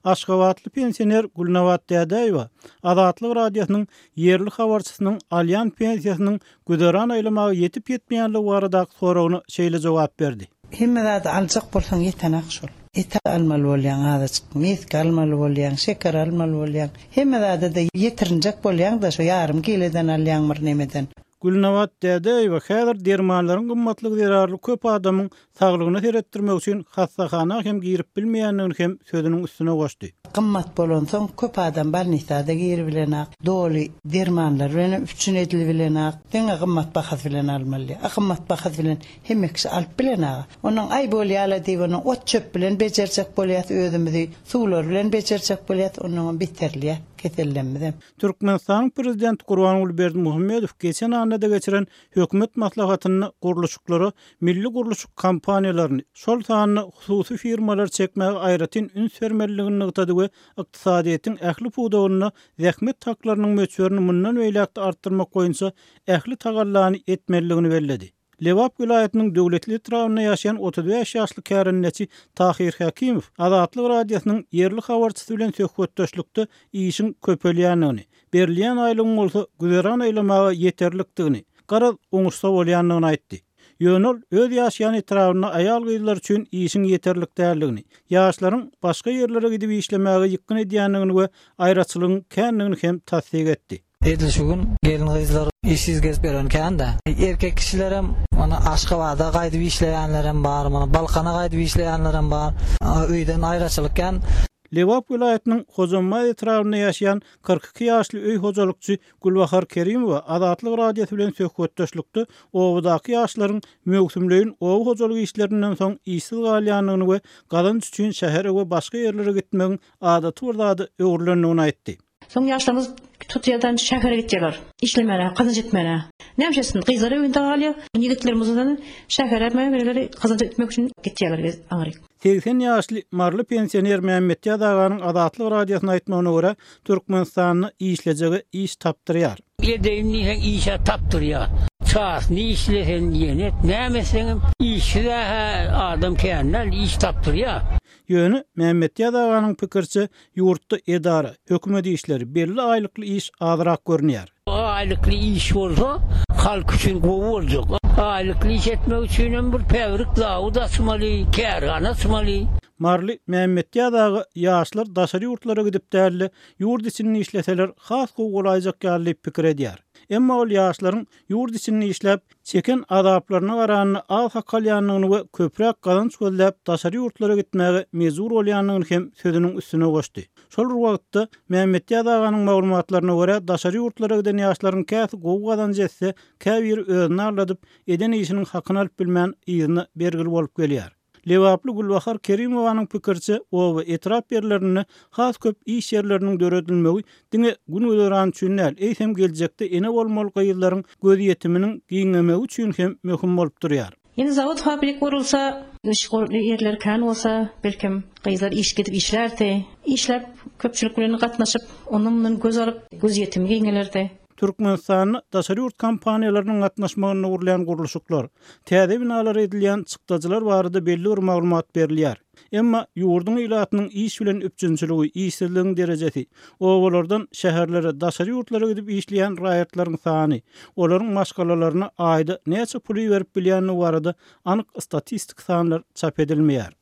Aşgabatly pensioner Gülnabat Dädäýewa Azatlyk Radiosynyň ýerli habarçysynyň alýan pensiýasynyň güzeran aýlamaga ýetip-ýetmeýänligi baradaky soragyna şeýle jogap berdi. Hemme zady aljak bolsaň ýetenak şol. Et almaly bolýaň azajyk, meske almaly bolýaň, şeker almaly bolýaň. Hemme zada-da ýetirinjek bolýaň-da şo ýarym kileden alýaň bir nemeden. Gülnabat Dädäýewa häzir dermanlaryň gymmatlygy zerarly köp adamyň saglygyna seretdirmek üçin hassahana hem girip bilmeýändigini hem sözüniň üstüne goşdy. Gymmat bolansoň köp adam bolnisada giribilenak, doly dermanlar bilenem üpjün edilibilenak, diňe gymmat bahasy bilen almaly. A gymmat bahasy bilen hemme kişi alyp bilenaga. Onnoň aý bolýala diýip onnoň ot-çöp bilen bejerjek bolýas özümizi, suwlar bilen bejerjek bolýas, onnoňam beterilýär kesellemizem. Türkmenistanyň Prezidenti Gurbanguly Berdimuhamedow geçen annada geçiren Hökümet maslahatynda gurluşyklara milli gurluşyk kompaniýalaryny, şol sanda hususy firmalary çekmäge aýratyn üns bermelidigini nygtady we ykdysadyýetiň ähli pudagynda zähmet haklarynyň möçberini mundan beýläk-de artdyrmak boýunça ähli tagallany etmelidigini belledi. Lebap welaýatynyň Döwletli etrabynda ýaşaýan 35 ýaşly kärendeçi Tahyr Hekimow Azatlyk Radiosynyň ýerli habarçysy bilen söhbetdeşlikde işiň köpelýändigini, berilýän aýlygyň bolsa güzeran aýlamaga ýeterlikdigini, garaz, oňuşsa bolýandygyny aýtdy. Ýöne ol öz ýaşaýan etrabynda aýal-gyzlar üçin işiň ýeterlik däldigini, ýaşlaryň başga ýerlere gidip işlemäge ýykgyn edýändigini we aýraçylygyň kändigini hem tassyk etdi. Edil şu gün gelin-gyzlar işsiz gezip ýören kän-dä. Erkek kişilerem mana Aşgabada gaýdyp işleýänlerem bar, mana Balkana gaýdyp işleýänlerem bar. Öýden aýraçylyk kän. Lebap welaýatynyň Hojambaz etrabynda ýaşaýan 42 ýaşly öý hojalykçy Gülbahar Kerimowa Azatlyk Radiosy bilen söhbetdeşlikde obadaky ýaşlaryň möwsümleýin oba hojalyk işlerinden soň işsiz galýandygyny we gazanç üçin şähere we başga ýerlere gitmegiň adaty bir zada öwrülendigini aýtdy. Soň ýaşlarymyz tutýardan şähere gitýärler. Işlemäne, gazanç etmäne. Näme etsin? Gyzlar öýünde galýar. Ýigitlerimiz şähere mämeleri gazanç etmek üçin gitýärler aňryk. 80 ýaşly maryly pensioner Mämmetýaz aganyň Azatlyk Radiosyna aýtmagyna görä, Türkmenistanda işlejege iş tapdyrýar. Edeýin diýseň iş-ä tapdyrýar. Çasyny işleseň ýene et, näme etseňem işsiz-ä adam kän däl, iş tapdyrýar. Ýöne, Mämmetýaz aganyň pikiriçe, ýurtda edara, hökümet işleri, belli aýlykly iş azrak görünýär. Aýlykly iş bolsa, halk üçin gowy boljak. Aýlykly iş etmek üçinem bir päbrik zawod açmaly, kärhana açmaly. Maryly Mämmetýaz aga ýaşlar daşary ýurtlara gidip däl-de, ýurt içinde işleseler has gowy bolaýjak ýaly diýip pikir edýär. Emma ol ýaşlaryň ýurt içinde işläp, çeken azaplaryna garanda az hak alýandygyny we köpräk gazanç gözläp daşary ýurtlara gitmäge mejbur bolýandygyny hem sözüniň üstüne goşdy. Şol bir wagtda, Mämmetýaz aganyň maglumatlaryna görä, daşary ýurtlara giden ýaşlaryň käsi gowy gazanç etse, käbiri özüni aldadyp, eden işiniň hakyny alyp bilmän, yzyna bergili bolup gelýär. Lebaply Gülbahar Kerimowanyň pikiriçe, oba, etrap ýerlerinde has köp iş ýerleriniň döredilmegi diňe gün-güzeran üçin däl, eýsem geljekde ene bolmaly gyzlaryň gözýetiminiň giňemegi üçin hem möhüm bolup durýar. Ýene zawod-fabrik gurulsa, iş ýerleri kän bolsa, belkem, gyzlar iş gidip işlärdi. Işläp, köpçülik bilen gatnaşyp, ondan-mundan göz alyp, gözýetimi giňelerdi. Türkmenistanda daşary ýurt kompaniýalarynyň gatnaşmagynda gurulýan gurluşyklar, täze binalara edilýän çykdajylar barada belli bir maglumat berilýär. Emma ýurduň ilatynyň iş bilen üpjünçiligi, işsizligiň derejesi, obalardan şäherlere, daşary ýurtlara gidip işleýän raýatlaryň sany, olaryň maşgalalaryna aýda näçe pul iberip bilýändigi barada anyk statistik sanlar çap edilmeýär.